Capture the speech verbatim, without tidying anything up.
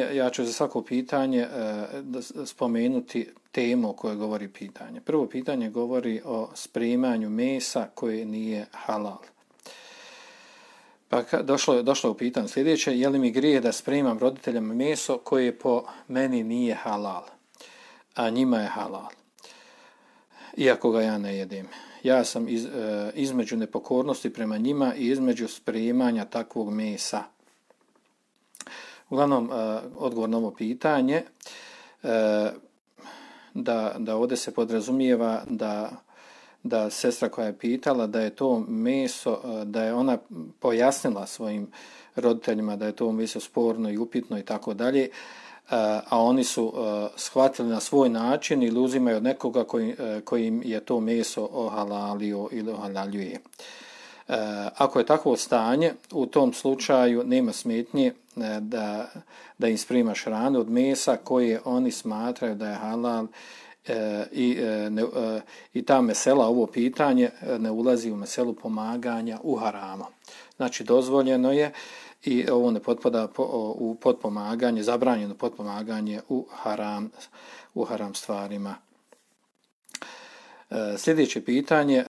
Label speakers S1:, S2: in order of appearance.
S1: Ja ću za svako pitanje spomenuti temu o kojoj govori pitanje. Prvo pitanje govori o spremanju mesa koje nije halal. Pa došlo, došlo u pitanje sljedeće, je li mi grije da spremam roditeljama meso koje po meni nije halal, a njima je halal, iako ga ja ne jedem. Ja sam iz, između nepokornosti prema njima i između spremanja takvog mesa. Uglavnom, odgovor na ovo pitanje, da, da ovdje se podrazumijeva da, da sestra koja je pitala da je to meso, da je ona pojasnila svojim roditeljima da je to meso sporno i upitno i tako dalje, a oni su shvatili na svoj način ili uzimaju od nekoga koji, kojim je to meso ohalalio ili ohalaljuje. Ako je takvo stanje, u tom slučaju nema smetnje da, da im sprimaš hranu od mesa koje oni smatraju da je halal i, ne, i ta mesela, ovo pitanje, ne ulazi u meselu pomaganja u haramu. Znači, dozvoljeno je i ovo ne potpada u potpomaganje, zabranjeno potpomaganje u haram, u haram stvarima. Sljedeće pitanje,